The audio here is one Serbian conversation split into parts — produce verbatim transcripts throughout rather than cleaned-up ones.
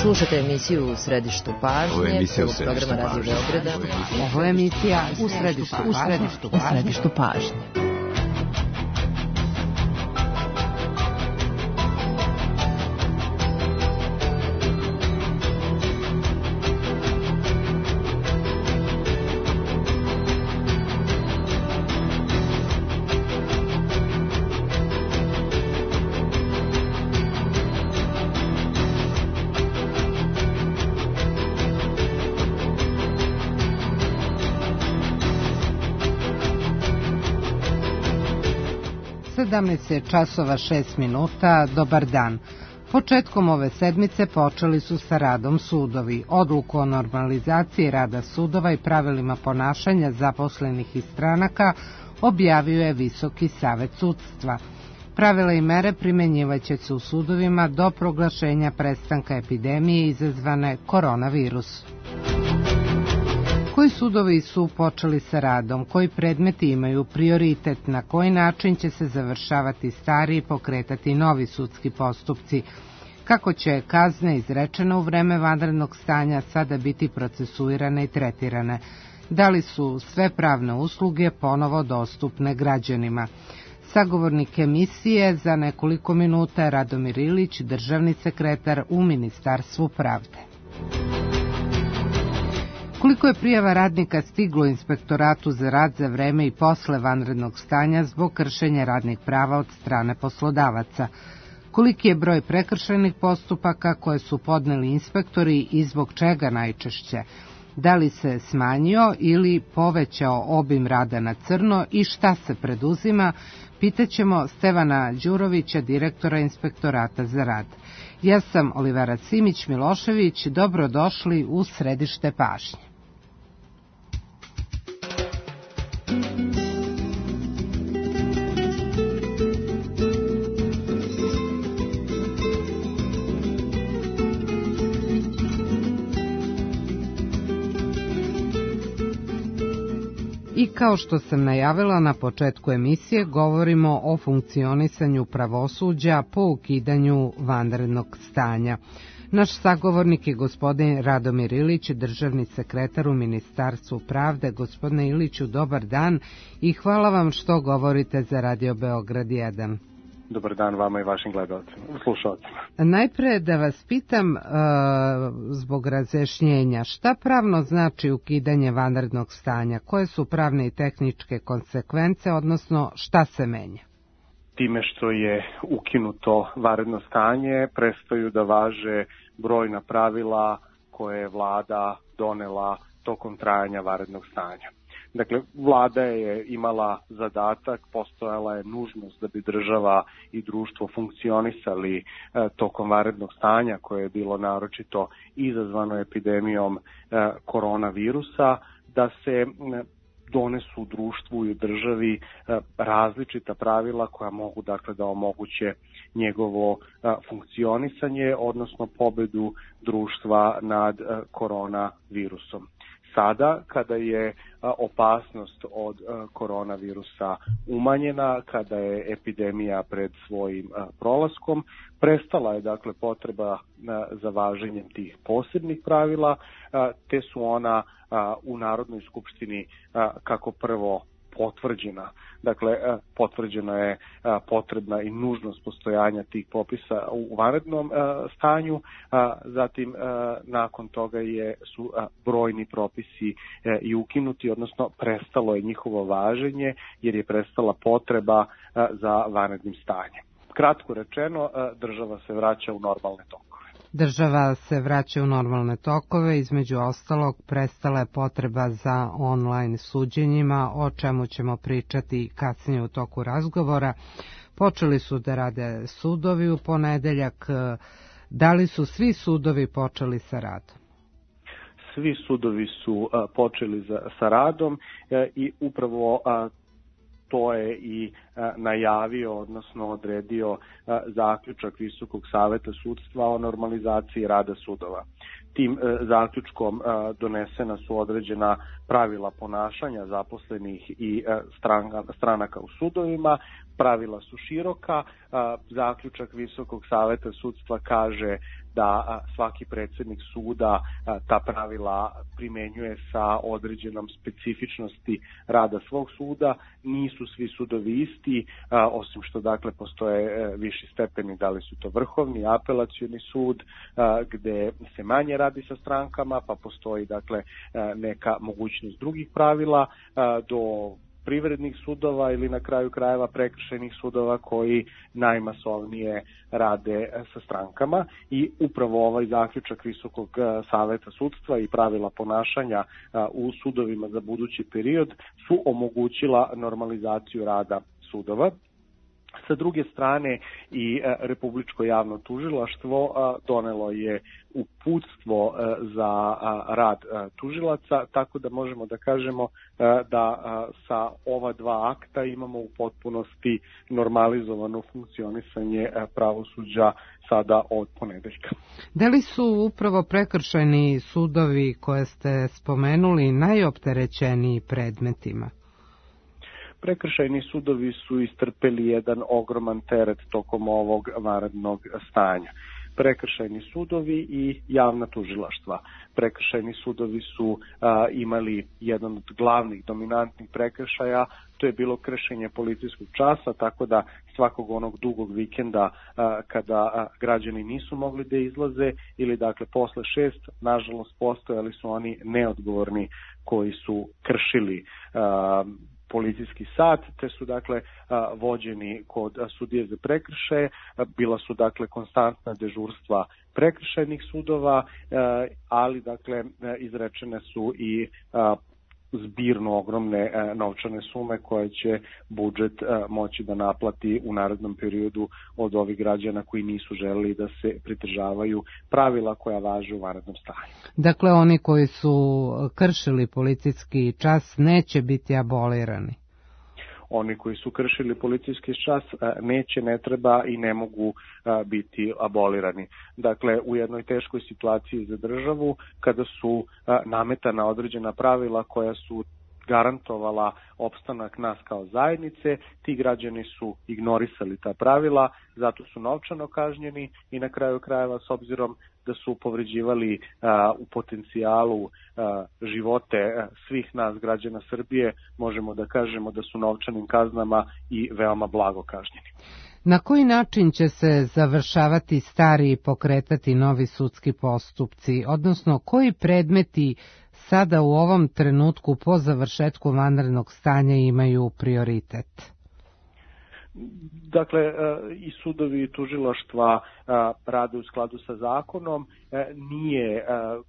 Slušate emisiju U središtu pažnje. Ovo je emisija U središtu pažnje. Radio Beograda. Ovo je emisija U središtu, u središtu, u središtu pažnje. sedamnaest časova šest minuta, dobar dan. Početkom ove sedmice počeli su sa radom sudovi. Odluku o normalizaciji rada sudova i pravilima ponašanja zaposlenih iz stranaka objavio je Visoki savet sudstva. Pravila i mere primenjivaće se u sudovima do proglašenja prestanka epidemije izazvane koronavirusom. Koji sudovi su počeli sa radom, koji predmeti imaju prioritet, na koji način će se završavati stari i pokretati novi sudski postupci, kako će kazne izrečene u vreme vanrednog stanja sada biti procesuirane i tretirane, da li su sve pravne usluge ponovo dostupne građanima. Sagovornik emisije za nekoliko minuta je Radomir Ilić, državni sekretar u Ministarstvu pravde. Koliko je prijava radnika stiglo Inspektoratu za rad za vreme i posle vanrednog stanja zbog kršenja radnih prava od strane poslodavaca? Koliki je broj prekršajnih postupaka koje su podneli inspektori i zbog čega najčešće? Da li se smanjio ili povećao obim rada na crno i šta se preduzima? Pitaćemo Stevana Đurovića, direktora Inspektorata za rad. Ja sam Olivera Simić-Milošević, dobrodošli u središte pažnje. I kao što sam najavila na početku emisije, govorimo o funkcionisanju pravosuđa po ukidanju vanrednog stanja. Naš sagovornik je gospodin Radomir Ilić, državni sekretar u Ministarstvu pravde. Gospodine Iliću, dobar dan i hvala vam što govorite za Radio Beograd jedan. Dobar dan vama i vašim gledalcima, slušalcima. Najpre da vas pitam, e, zbog razjašnjenja, šta pravno znači ukidanje vanrednog stanja? Koje su pravne i tehničke konsekvence, odnosno šta se menja? Time što je ukinuto vanredno stanje, prestaju da važe brojna pravila koje je vlada donela tokom trajanja vanrednog stanja. Dakle, vlada je imala zadatak, postojala je nužnost da bi država i društvo funkcionisali e, tokom vanrednog stanja koje je bilo naročito izazvano epidemijom e, koronavirusa, da se e, donesu u društvu i u državi e, različita pravila koja mogu dakle da omoguće njegovo e, funkcionisanje, odnosno pobedu društva nad e, koronavirusom. Sada, kada je opasnost od koronavirusa umanjena, kada je epidemija pred svojim prolaskom, prestala je dakle potreba za važenjem tih posebnih pravila, te su ona u Narodnoj skupštini kako prvo potvrđena. Dakle, potvrđena je potrebna i nužnost postojanja tih popisa u vanrednom stanju, zatim nakon toga je, su brojni propisi i ukinuti, odnosno prestalo je njihovo važenje jer je prestala potreba za vanrednim stanjem. Kratko rečeno, država se vraća u normalne tokove. Država se vraća u normalne tokove, između ostalog prestala je potreba za online suđenjima, o čemu ćemo pričati kasnije u toku razgovora. Počeli su da rade sudovi u ponedeljak. Da li su svi sudovi počeli sa radom? Svi sudovi su a, počeli za, sa radom a, i upravo a, to je i a, najavio, odnosno odredio a, zaključak Visokog saveta sudstva o normalizaciji rada sudova. Tim a, zaključkom a, donesena su određena pravila ponašanja zaposlenih i a, stranaka, stranaka u sudovima, pravila su široka, zaključak Visokog saveta sudstva kaže da svaki predsjednik suda ta pravila primenjuje sa određenom specifičnosti rada svog suda. Nisu svi sudovi isti, osim što dakle postoje viši stepeni, da li su to vrhovni, apelacioni sud, gde se manje radi sa strankama, pa postoji dakle neka mogućnost drugih pravila, do privrednih sudova ili na kraju krajeva prekršajnih sudova koji najmasovnije rade sa strankama. I upravo ovaj zaključak Visokog saveta sudstva i pravila ponašanja u sudovima za budući period su omogućila normalizaciju rada sudova. Sa druge strane i Republičko javno tužilaštvo donelo je uputstvo za rad tužilaca, tako da možemo da kažemo da sa ova dva akta imamo u potpunosti normalizovano funkcionisanje pravosuđa sada od ponedeljka. Da li su upravo prekršajni sudovi koje ste spomenuli najopterećeniji predmetima? Prekršajni sudovi su istrpeli jedan ogroman teret tokom ovog vanrednog stanja. Prekršajni sudovi i javna tužilaštva. Prekršajni sudovi su a, imali jedan od glavnih dominantnih prekršaja, to je bilo kršenje policijskog časa, tako da svakog onog dugog vikenda a, kada a, građani nisu mogli da izlaze ili dakle posle šest, nažalost postojali su oni neodgovorni koji su kršili a, policijski sat, te su dakle vođeni kod sudije za prekršaje, bila su dakle konstantna dežurstva prekršajnih sudova, ali dakle izrečene su i zbirno ogromne novčane sume koje će budžet moći da naplati u narednom periodu od ovih građana koji nisu želeli da se pridržavaju pravila koja važe u vanrednom stanju. Dakle, oni koji su kršili policijski čas neće biti abolirani? Oni koji su kršili policijski čas neće, ne treba i ne mogu biti abolirani. Dakle, u jednoj teškoj situaciji za državu, kada su nametana određena pravila koja su garantovala opstanak nas kao zajednice, ti građani su ignorisali ta pravila, zato su novčano kažnjeni i na kraju krajeva, s obzirom da su povređivali a, u potencijalu a, živote a, svih nas građana Srbije, možemo da kažemo da su novčanim kaznama i veoma blago kažnjeni. Na koji način će se završavati stari i pokretati novi sudski postupci, odnosno koji predmeti sada u ovom trenutku po završetku vanrednog stanja imaju prioritet? Dakle, i sudovi i tužilaštva rade u skladu sa zakonom. Nije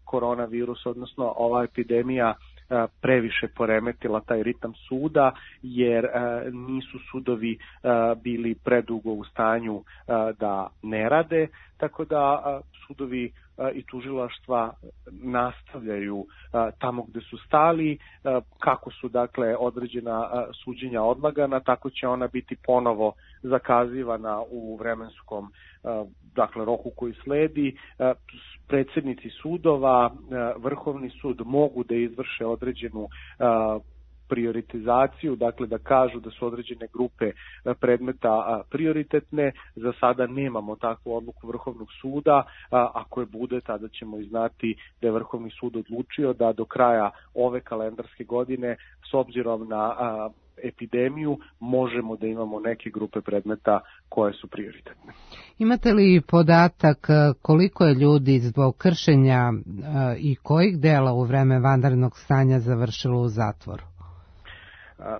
koronavirus, odnosno ova epidemija, previše poremetila taj ritam suda, jer nisu sudovi bili predugo u stanju da ne rade, tako da sudovi i tužilaštva nastavljaju tamo gde su stali. Kako su dakle određena suđenja odlagana, tako će ona biti ponovo zakazivana u vremenskom dakle roku koji sledi. Predsjednici sudova, Vrhovni sud mogu da izvrše određenu prioritizaciju, dakle da kažu da su određene grupe predmeta prioritetne. Za sada nemamo takvu odluku Vrhovnog suda, ako je bude, tada ćemo i znati da je Vrhovni sud odlučio da do kraja ove kalendarske godine, s obzirom na epidemiju, možemo da imamo neke grupe predmeta koje su prioritetne. Imate li podatak koliko je ljudi zbog kršenja i kojih dela u vreme vanrednog stanja završilo u zatvoru?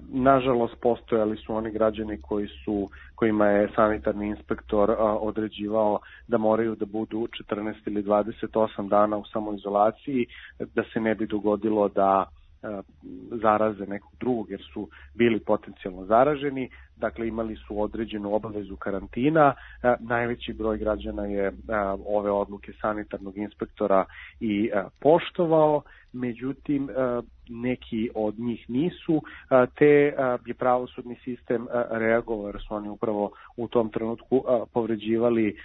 Nažalost, postojali su oni građani koji su, kojima je sanitarni inspektor određivao da moraju da budu četrnaest ili dvadeset osam dana u samoizolaciji, da se ne bi dogodilo da zaraze nekog drugog, jer su bili potencijalno zaraženi. Dakle, imali su određenu obavezu karantina. Najveći broj građana je ove odluke sanitarnog inspektora i poštovao, međutim neki od njih nisu, te je pravosudni sistem reagovao, jer su oni upravo u tom trenutku povređivali,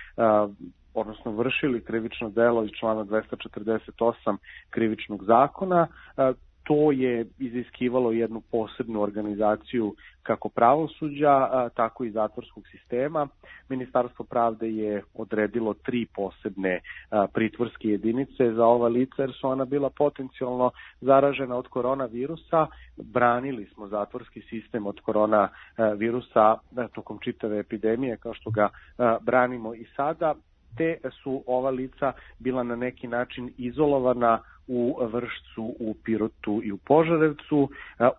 odnosno vršili krivično delo iz člana dvesta četrdeset osam krivičnog zakona. To je iziskivalo jednu posebnu organizaciju kako pravosuđa, tako i zatvorskog sistema. Ministarstvo pravde je odredilo tri posebne pritvorske jedinice za ova lica jer su ona bila potencijalno zaražena od koronavirusa. Branili smo zatvorski sistem od koronavirusa tokom čitave epidemije kao što ga branimo i sada. Te su ova lica bila na neki način izolovana u Vršcu, u Pirotu i u Požarevcu.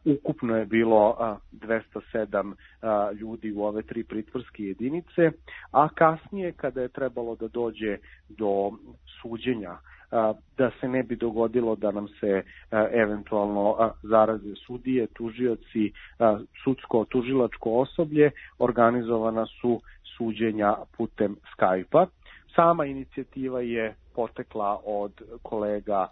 Ukupno je bilo dvesta sedam ljudi u ove tri pritvorske jedinice, a kasnije kada je trebalo da dođe do suđenja, da se ne bi dogodilo da nam se eventualno zaraze sudije, tužioci, sudsko-tužilačko osoblje, organizovana su suđenja putem Skype-a. Sama inicijativa je potekla od kolega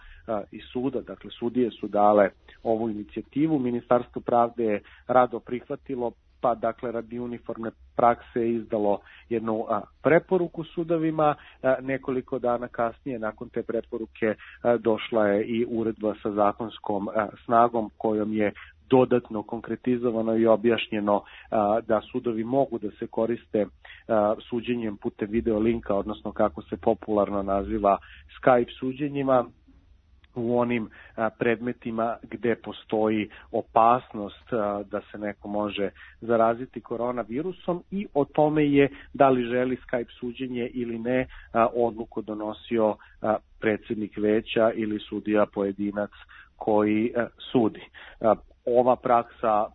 iz suda, dakle sudije su dale ovu inicijativu, Ministarstvo pravde je rado prihvatilo, pa dakle radi uniformne prakse je izdalo jednu a, preporuku sudovima. A, nekoliko dana kasnije nakon te preporuke a, došla je i uredba sa zakonskom a, snagom kojom je dodatno konkretizovano i objašnjeno a, da sudovi mogu da se koriste a, suđenjem putem video linka, odnosno kako se popularno naziva Skype suđenjima, u onim a, predmetima gde postoji opasnost a, da se neko može zaraziti koronavirusom, i o tome je da li želi Skype suđenje ili ne a, odluku donosio a, predsjednik veća ili sudija pojedinac koji a, sudi. A, ova praksa,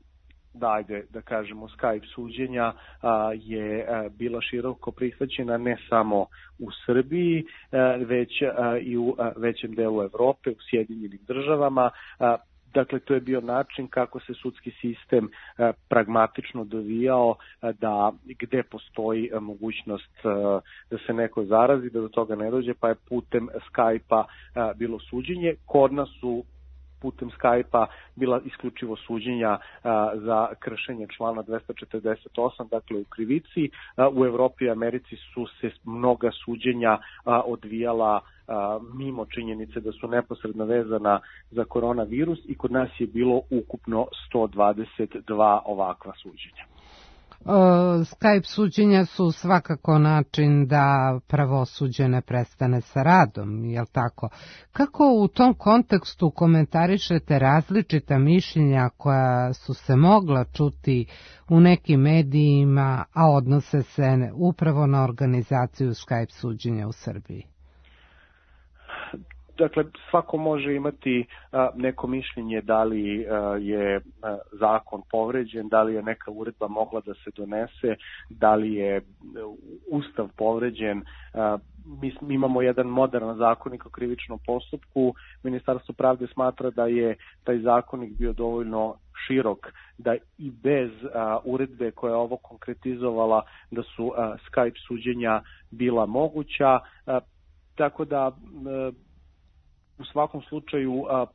da, ajde, da kažemo, Skype suđenja a, je a, bila široko prihvaćena ne samo u Srbiji, a, već a, i u a, većem delu Evrope, u Sjedinjenim državama. A, Dakle, to je bio način kako se sudski sistem a, pragmatično dovijao a, da gde postoji a, mogućnost a, da se neko zarazi, da do toga ne dođe, pa je putem Skype-a a, bilo suđenje. Kod nas su putem Skype-a bila isključivo suđenja a, za kršenje člana dvesta četrdeset osam, dakle u krivici. A, u Evropi i Americi su se mnoga suđenja a, odvijala a, mimo činjenice da su neposredno vezana za koronavirus, i kod nas je bilo ukupno sto dvadeset dva ovakva suđenja. Skype suđenja su svakako način da pravosuđe ne prestane sa radom, jel tako? Kako u tom kontekstu komentarišete različita mišljenja koja su se mogla čuti u nekim medijima, a odnose se upravo na organizaciju Skype suđenja u Srbiji? Dakle, svako može imati a, neko mišljenje da li a, je a, zakon povređen, da li je neka uredba mogla da se donese, da li je Ustav povređen. A, mi, mi imamo jedan moderan zakonik o krivičnom postupku. Ministarstvo pravde smatra da je taj zakonik bio dovoljno širok, da i bez a, uredbe koja je ovo konkretizovala, da su a, Skype suđenja bila moguća. A, tako da a, u svakom slučaju a,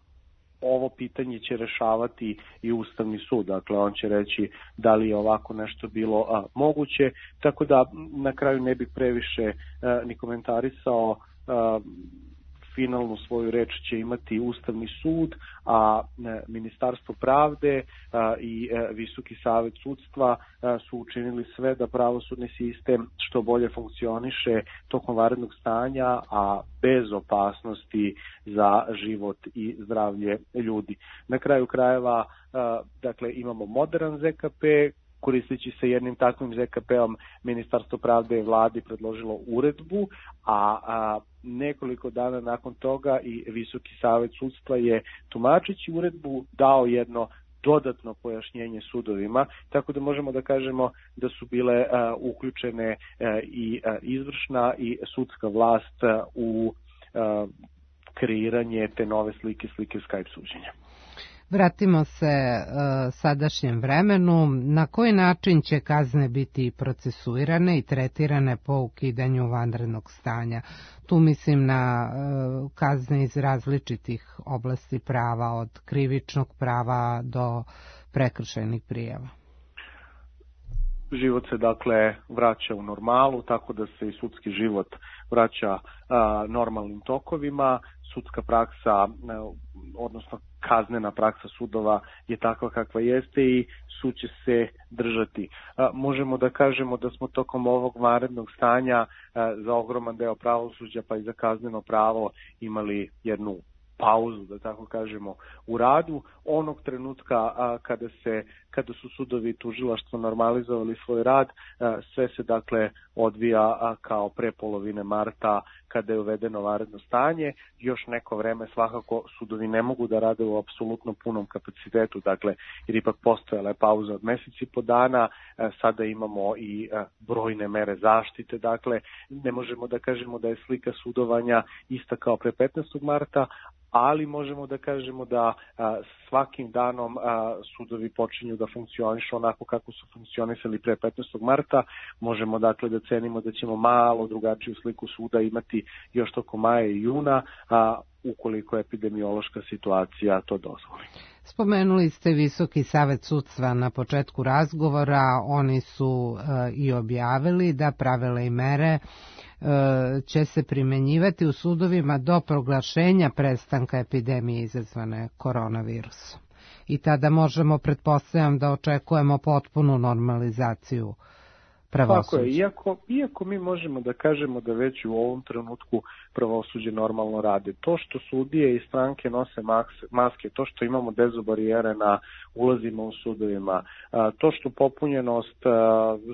ovo pitanje će rešavati i Ustavni sud, dakle on će reći da li je ovako nešto bilo a, moguće, tako da na kraju ne bih previše a, ni komentarisao. A, finalnu svoju reč će imati Ustavni sud, a e, Ministarstvo pravde a, i e, Visoki savet sudstva a, su učinili sve da pravosudni sistem što bolje funkcioniše tokom vanrednog stanja, a bez opasnosti za život i zdravlje ljudi. Na kraju krajeva, a, dakle, imamo modern Z K P. Koristeći se jednim takvim Z K P-om, Ministarstvo pravde je vladi predložilo uredbu, a, a nekoliko dana nakon toga i Visoki savet sudstva je, tumačeći uredbu, dao jedno dodatno pojašnjenje sudovima, tako da možemo da kažemo da su bile a, uključene a, i a, izvršna i sudska vlast a, u a, kreiranje te nove slike, slike Skype suđenja. Vratimo se e, sadašnjem vremenu. Na koji način će kazne biti procesuirane i tretirane po ukidanju vanrednog stanja? Tu mislim na e, kazne iz različitih oblasti prava, od krivičnog prava do prekršajnih prijava. život se dakle vraća u normalu, tako da se i sudski život vraća a, normalnim tokovima. Sudska praksa, a, odnosno kaznena praksa sudova je takva kakva jeste i sud će se držati. A, možemo da kažemo da smo tokom ovog vanrednog stanja a, za ogroman deo pravosuđa pa i za kazneno pravo imali jednu pauzu, da tako kažemo, u radu. Onog trenutka a, kada se kada su sudovi i tužilaštvo normalizovali svoj rad, a, sve se dakle odvija a, kao pre polovine marta kada je uvedeno vanredno stanje. Još neko vreme svakako sudovi ne mogu da rade u apsolutno punom kapacitetu, dakle jer ipak postojala je pauza od meseci po dana, a, sada imamo i a, brojne mere zaštite, dakle ne možemo da kažemo da je slika sudovanja ista kao pre petnaestog marta, ali možemo da kažemo da a, svakim danom a, sudovi počinju da funkcionišu onako kako su funkcionisali pre petnaestog marta. Možemo dakle da cenimo da ćemo malo drugačiju sliku suda imati još tokom maja i juna, a, ukoliko epidemiološka situacija to dozvoli. Spomenuli ste Visoki savet sudstva na početku razgovora, oni su e, i objavili da pravila i mere će se primenjivati u sudovima do proglašenja prestanka epidemije izazvane koronavirusom. I tada možemo, pretpostavljam, da očekujemo potpunu normalizaciju pravosuđa. Tako je, iako, iako mi možemo da kažemo da već u ovom trenutku pravosuđe normalno rade. To što sudije i stranke nose maske, to što imamo dezobarijere na ulazima u sudovima, to što popunjenost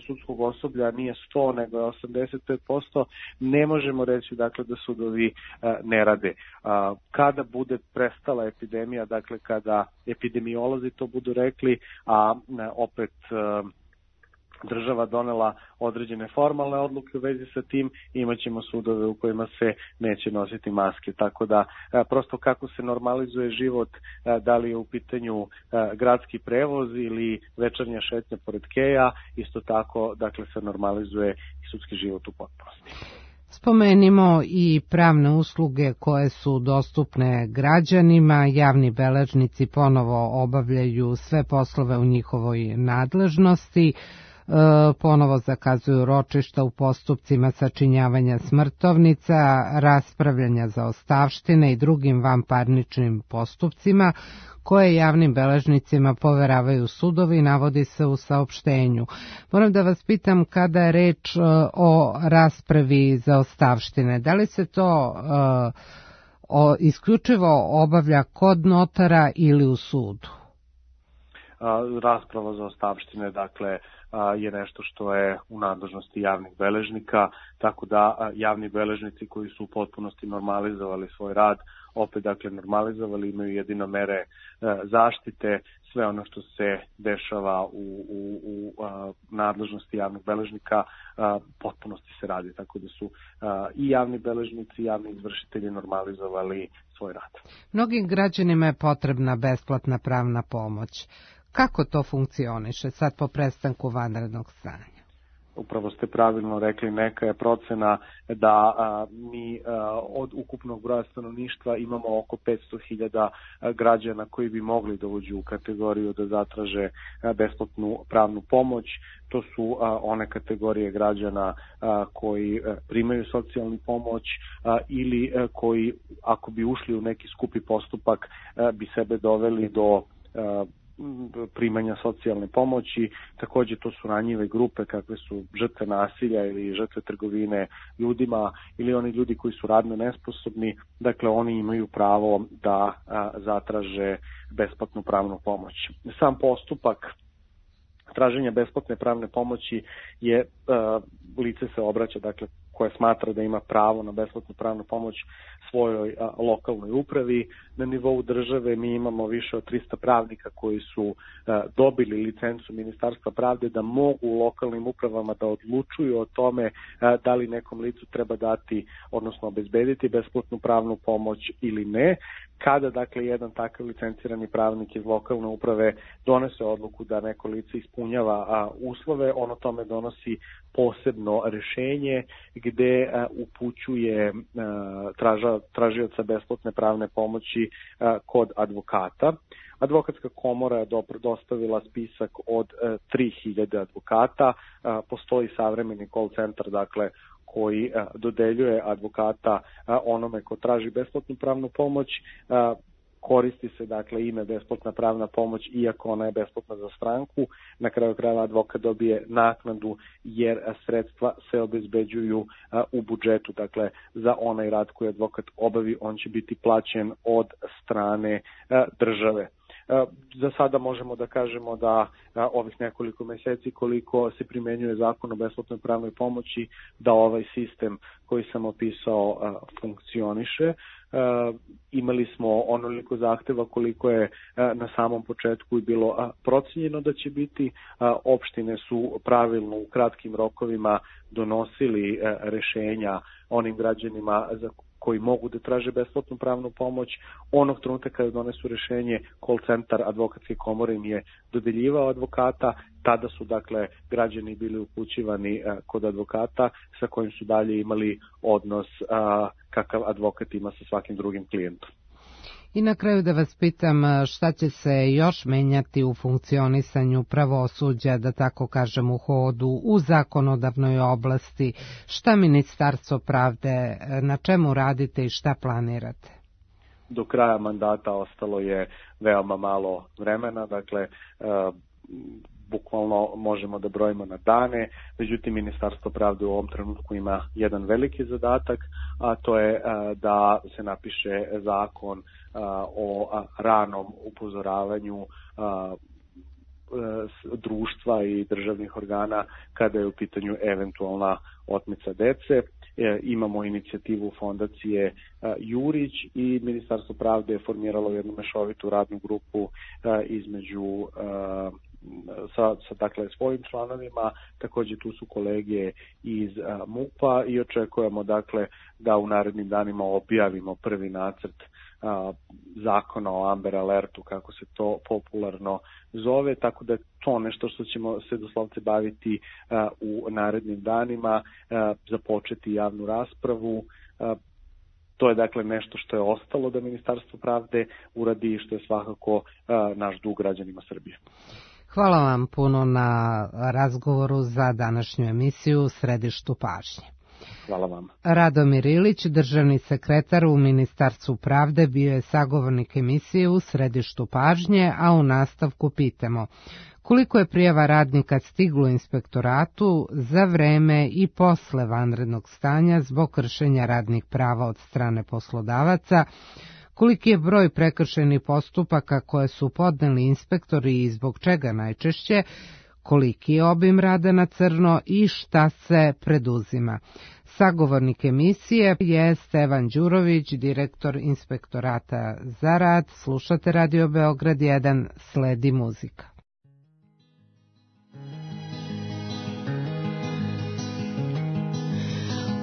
sudskog osoblja nije sto nego je osamdeset pet posto, ne možemo reći dakle da sudovi ne rade. Kada bude prestala epidemija, dakle kada epidemiolozi to budu rekli, a opet država donela određene formalne odluke u vezi sa tim, imaćemo sudove u kojima se neće nositi maske. Tako da prosto kako se normalizuje život, da li je u pitanju gradski prevoz ili večernja šetnja pored keja, isto tako dakle se normalizuje i sudski život u potpunosti. Spomenimo i pravne usluge koje su dostupne građanima. Javni beležnici ponovo obavljaju sve poslove u njihovoj nadležnosti. Ponovo zakazuju ročišta u postupcima sačinjavanja smrtovnica, raspravljanja zaostavštine i drugim vanparničnim postupcima koje javnim beležnicima poveravaju sudovi, navodi se u saopštenju. Moram da vas pitam, kada je reč o raspravi zaostavštine, da li se to uh, o, isključivo obavlja kod notara ili u sudu? Rasprava zaostavštine, dakle, je nešto što je u nadležnosti javnih beležnika, tako da javni beležnici koji su u potpunosti normalizovali svoj rad, opet dakle normalizovali, imaju jedino mere zaštite, sve ono što se dešava u, u, u nadležnosti javnih beležnika potpunosti se radi, tako da su i javni beležnici i javni izvršitelji normalizovali svoj rad. Mnogim građanima je potrebna besplatna pravna pomoć. Kako to funkcioniše sad po prestanku vanrednog stanja? Upravo ste pravilno rekli, neka je procena da a, mi a, od ukupnog broja stanovništva imamo oko petsto hiljada građana koji bi mogli da uđu u kategoriju da zatraže a, besplatnu pravnu pomoć. To su a, one kategorije građana a, koji a, primaju socijalnu pomoć a, ili a, koji, ako bi ušli u neki skupi postupak, a, bi sebe doveli do a, primanja socijalne pomoći. Takođe to su ranjive grupe kakve su žrtve nasilja ili žrtve trgovine ljudima ili oni ljudi koji su radno nesposobni, dakle oni imaju pravo da a, zatraže besplatnu pravnu pomoć. Sam postupak traženja besplatne pravne pomoći je, a, lice se obraća, dakle koje smatra da ima pravo na besplatnu pravnu pomoć svojoj a, lokalnoj upravi. Na nivou države mi imamo više od trista pravnika koji su a, dobili licencu Ministarstva pravde da mogu u lokalnim upravama da odlučuju o tome a, da li nekom licu treba dati, odnosno obezbediti besplatnu pravnu pomoć ili ne. Kada dakle jedan takav licencirani pravnik iz lokalne uprave donese odluku da neko lice ispunjava a, uslove, ono tome donosi posebno rešenje gde a, upućuje a, traža, tražioca besplatne pravne pomoći a, kod advokata. Advokatska komora je dostavila spisak od tri hiljade advokata. Postoji savremeni call centar, dakle, koji dodeljuje advokata onome ko traži besplatnu pravnu pomoć. Koristi se, dakle, ime besplatna pravna pomoć, iako ona je besplatna za stranku. Na kraju krajeva advokat dobije naknadu jer sredstva se obezbeđuju u budžetu. Dakle, za onaj rad koji advokat obavi, on će biti plaćen od strane države. Za sada možemo da kažemo da ovih nekoliko meseci koliko se primenjuje zakon o besplatnoj pravnoj pomoći, da ovaj sistem koji sam opisao funkcioniše. Imali smo onoliko zahteva koliko je na samom početku i bilo procenjeno da će biti. Opštine su pravilno u kratkim rokovima donosili rešenja onim građanima za koji mogu da traže besplatnu pravnu pomoć. Onog trenutka kada donesu rešenje, call centar advokatske komore im je dodeljivao advokata, tada su, dakle, građani bili upućivani kod advokata sa kojim su dalje imali odnos kakav advokat ima sa svakim drugim klijentom. I na kraju da vas pitam šta će se još menjati u funkcionisanju pravosuđa, da tako kažem, u hodu, u zakonodavnoj oblasti, šta Ministarstvo pravde, na čemu radite i šta planirate? Do kraja mandata ostalo je veoma malo vremena, dakle, bukvalno možemo da brojimo na dane, međutim Ministarstvo pravde u ovom trenutku ima jedan veliki zadatak, a to je da se napiše zakon o ranom upozoravanju društva i državnih organa kada je u pitanju eventualna otmica dece. Imamo inicijativu fondacije Jurić i Ministarstvo pravde je formiralo jednu mešovitu radnu grupu između sa, sa dakle, svojim članovima, također tu su kolege iz M U P-a i očekujemo, dakle, da u narednim danima objavimo prvi nacrt a, zakona o Amber Alertu, kako se to popularno zove, tako da je to nešto što ćemo se doslovce baviti a, u narednim danima, a, započeti javnu raspravu. A, To je, dakle, nešto što je ostalo da Ministarstvo pravde uradi i što je svakako a, naš dug građanima Srbije. Hvala vam puno na razgovoru za današnju emisiju u Središtu pažnje. Hvala vam. Radomir Ilić, državni sekretar u Ministarstvu pravde, bio je sagovornik emisije u Središtu pažnje, a u nastavku pitamo koliko je prijava radnika stiglo inspektoratu za vreme i posle vanrednog stanja zbog kršenja radnih prava od strane poslodavaca, koliki je broj prekršenih postupaka koje su podneli inspektori i zbog čega najčešće, koliki je obim rada na crno i šta se preduzima. Sagovornik emisije je Stevan Đurović, direktor Inspektorata za rad. Slušate Radio Beograd jedan, sledi muzika.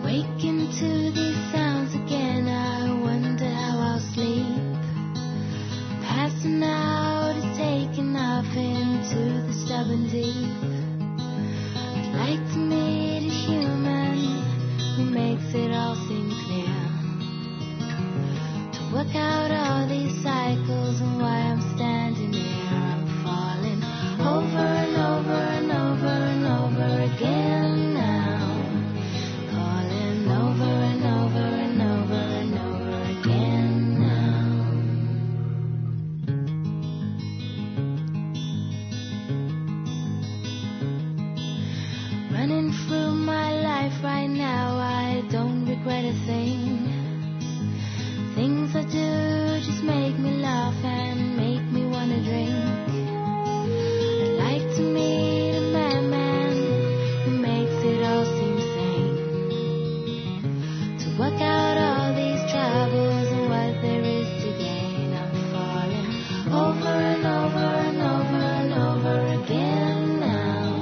Wake into these sounds again, I wonder how I'll sleep. Passing out is taking off into the stubborn deep. I'd like to meet a human who makes it all seem clear, to work out all these cycles and why I'm standing here. I'm falling over and over and over and over again now, calling over and over and over and over again now. Running through my life right now, I don't regret a thing. Things I do just make me laugh and make me wanna drink. I'd like to meet a madman who makes it all seem sane, to work out all these troubles and what there is to gain. I'm falling over and over and over and over again now,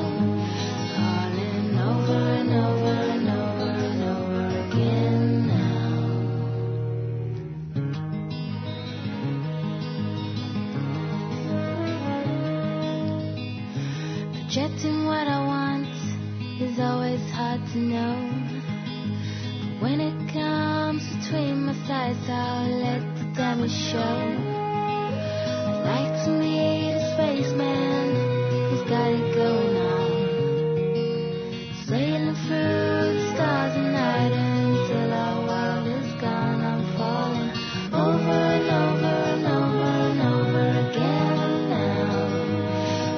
calling over and over and over and over again now. Projecting what I want is always hard to know, but when it comes between my sides, I'll let the damage show. I'd like looks at me, his face, man, he's got it going on. Sailing through the stars at night until our world is gone. I'm falling over and over and over and over again now.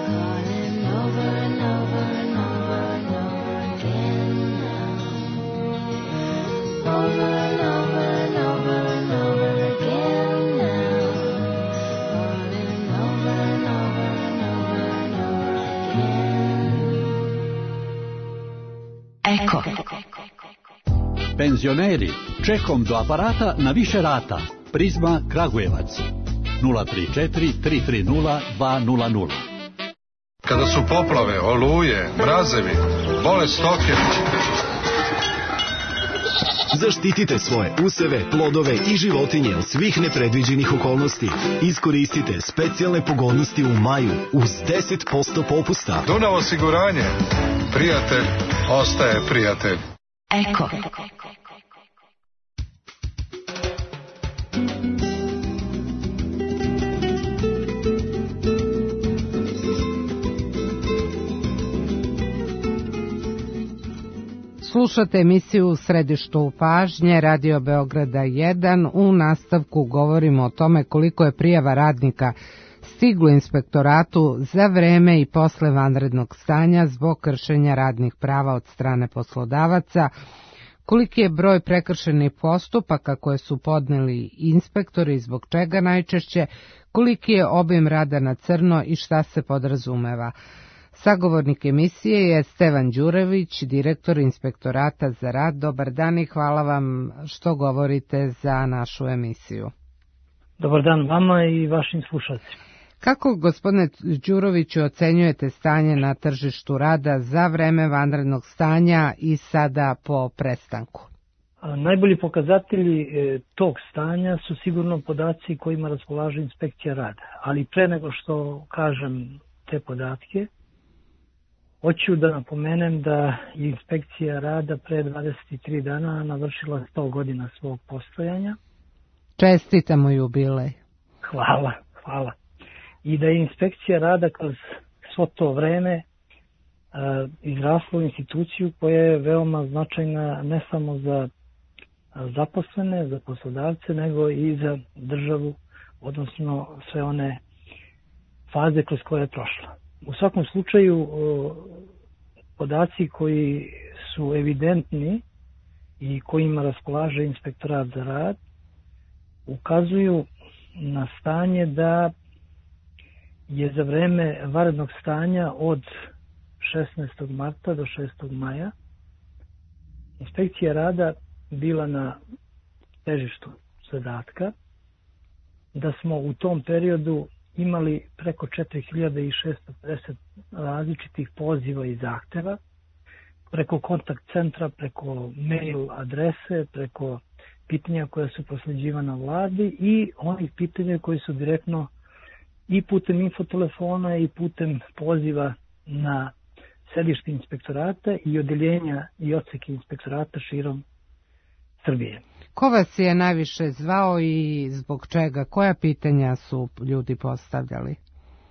Falling over and over and over and over again now. Over and over and over and over again now. Falling over and over and over and over again. Eko. Penzioneri, čekom do aparata na više rata. Prizma Kragujevac. nula tri četiri tri tri nula dva nula nula. Kada su poplave, oluje, mrazevi, bole stoke. Zaštitite svoje useve, plodove i životinje od svih nepredviđenih okolnosti. Iskoristite specijalne pogodnosti u maju uz deset posto popusta. Dunav osiguranje. Prijatelj ostaje prijatelj. Eko. Slušate emisiju U središtu pažnje Radio Beograda jedan. U nastavku govorimo o tome koliko je prijava radnika stiglo inspektoratu za vreme i posle vanrednog stanja zbog kršenja radnih prava od strane poslodavaca, koliki je broj prekršenih postupaka koje su podneli inspektori, zbog čega najčešće, koliki je obim rada na crno i šta se podrazumeva. Sagovornik emisije je Stevan Đurević, direktor inspektorata za rad. Dobar dan i hvala vam što govorite za našu emisiju. Dobar dan vama i vašim slušalcima. Kako, gospodine Đuroviću, ocenjujete stanje na tržištu rada za vreme vanrednog stanja i sada po prestanku? A, najbolji pokazatelji e, tog stanja su sigurno podaci kojima raspolaže inspekcija rada. Ali pre nego što kažem te podatke, hoću da napomenem da je inspekcija rada pre dvadeset tri dana navršila sto godina svog postojanja. Čestitamo jubilej. Hvala, hvala. I da je inspekcija rada kroz svo to vreme uh, izrasla u instituciju koja je veoma značajna ne samo za zaposlene, za poslodavce, nego i za državu, odnosno sve one faze kroz koje je prošla. U svakom slučaju, uh, podaci koji su evidentni i kojima raspolaže inspektorat za rad ukazuju na stanje da je za vreme vanrednog stanja od šesnaestog marta do šestog maja inspekcija rada bila na težištu zadatka, da smo u tom periodu imali preko četiri hiljade šessto pedeset različitih poziva i zahteva, preko kontakt centra, preko mail adrese, preko pitanja koja su prosleđivana vladi i onih pitanja koji su direktno i putem infotelefona i putem poziva na sedište inspektorata i odeljenja i odseke inspektorata širom Srbije. Ko vas je najviše zvao i zbog čega? Koja pitanja su ljudi postavljali?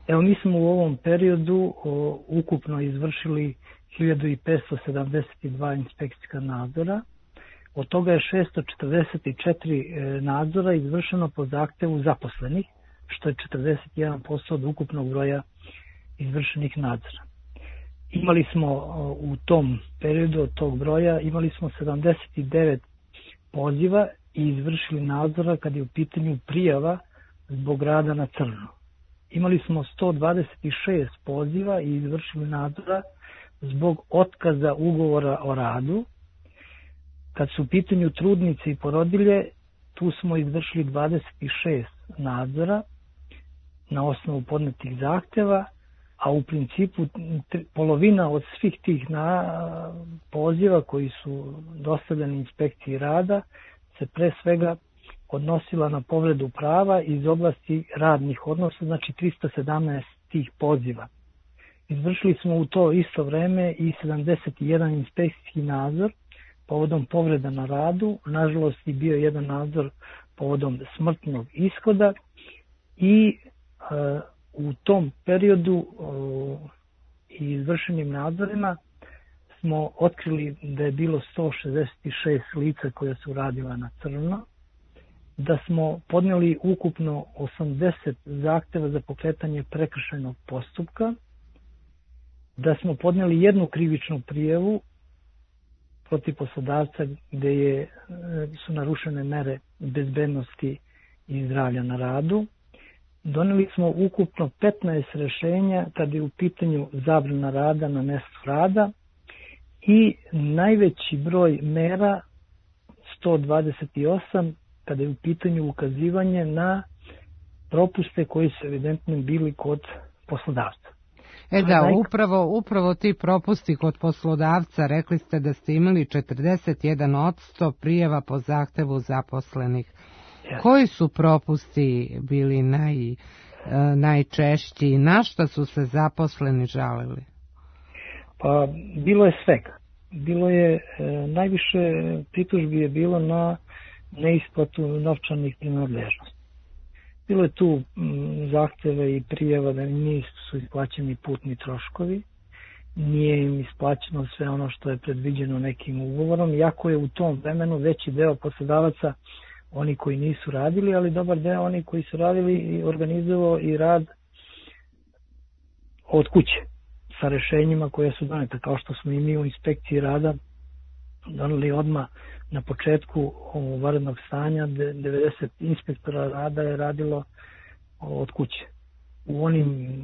Evo, mi smo u ovom periodu o, ukupno izvršili hiljadu petsto sedamdeset dva inspekcijska nadzora. Od toga je šessto četrdeset četiri e, nadzora izvršeno po zahtevu zaposlenih, što je četrdeset jedan posto od ukupnog broja izvršenih nadzora. Imali smo o, u tom periodu od tog broja, imali smo sedamdeset devet poziva i izvršili nadzora kad je u pitanju prijava zbog rada na crno. Imali smo sto dvadeset šest poziva i izvršili nadzora zbog otkaza ugovora o radu. Kad su u pitanju trudnice i porodilje, tu smo izvršili dvadeset šest nadzora na osnovu podnetih zahteva, a u principu polovina od svih tih na, poziva koji su dostavljeni inspekciji rada se pre svega odnosila na povredu prava iz oblasti radnih odnosa, znači tristo sedamnaest tih poziva. Izvršili smo u to isto vreme i sedamdeset jedan inspekcijski nadzor povodom povreda na radu, nažalost i bio jedan nadzor povodom smrtnog ishoda i e, U tom periodu i izvršenim nadzorima smo otkrili da je bilo sto šezdeset šest lica koja su radila na crno, da smo podneli ukupno osamdeset zahteva za pokretanje prekršajnog postupka, da smo podneli jednu krivičnu prijavu protiv poslodavca gde je, su narušene mere bezbednosti i zdravlja na radu. Doneli smo ukupno petnaest rešenja kada je u pitanju zabrana rada na mestu rada i najveći broj mera, sto dvadeset osam, kada je u pitanju ukazivanje na propuste koji su evidentno bili kod poslodavca. E da, upravo, upravo ti propusti kod poslodavca, rekli ste da ste imali četrdeset jedan odsto prijava po zahtevu zaposlenih. Yes. Koji su propusti bili naj, najčešći i na šta su se zaposleni žalili? Pa bilo je svega. Bilo je, najviše pritužbi je bilo na neisplatu novčanih prinadležnosti. Bilo je tu zahteve i prijava da nisu isplaćeni putni troškovi, nije im isplaćeno sve ono što je predviđeno nekim ugovorom, iako je u tom vremenu veći deo poslodavaca oni koji nisu radili, ali dobar deo oni koji su radili i organizovao i rad od kuće sa rešenjima koje su donete, kao što smo i mi u inspekciji rada doneli odmah na početku vanrednog stanja. devedeset inspektora rada je radilo od kuće. U onim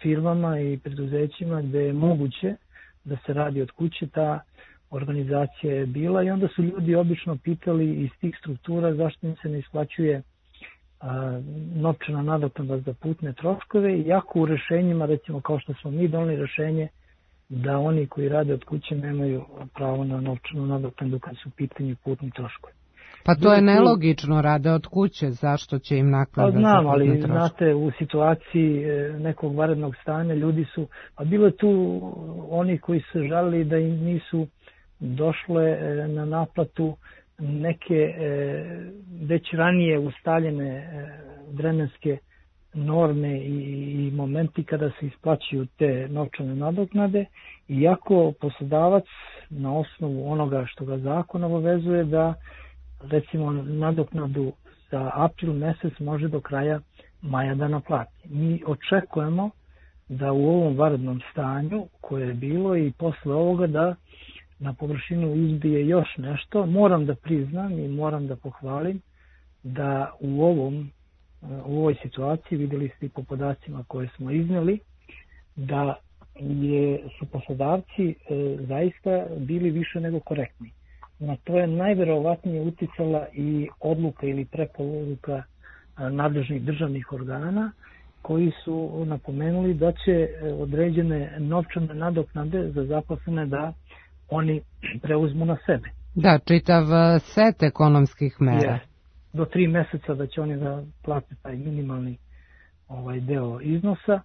firmama i preduzećima gde je moguće da se radi od kuće, ta organizacija je bila i onda su ljudi obično pitali iz tih struktura zašto im se ne isplaćuje a, novčana nadoknada za putne troškove, iako u rešenjima, recimo kao što smo mi doneli rešenje, da oni koji rade od kuće nemaju pravo na novčanu nadoknadu kad su u pitanju putni troškovi. Pa to je nelogično, rade od kuće, zašto će im naknada za putne troškove? Pa znam, ali znate, u situaciji nekog vanrednog stanja ljudi su, a bilo je tu oni koji su žalili da im nisu došle na naplatu neke već ranije ustaljene vremenske norme i, i momenti kada se isplaćuju te novčane nadoknade, iako poslodavac na osnovu onoga što ga zakon obavezuje da recimo nadoknadu za april mesec može do kraja maja da naplati. Mi očekujemo da u ovom vanrednom stanju koje je bilo i posle ovoga da na površinu izbije još nešto. Moram da priznam i moram da pohvalim da u ovom u ovoj situaciji, videli ste i po podacima koje smo izneli, da je, su poslodavci e, zaista bili više nego korektni. Na to je najverovatnije uticala i odluka ili preporuka nadležnih državnih organa koji su napomenuli da će određene novčane nadoknade za zaposlene da oni preuzmu na sebe. Da, čitav set ekonomskih mera. Je, do tri meseca da će oni da plate taj minimalni ovaj deo iznosa.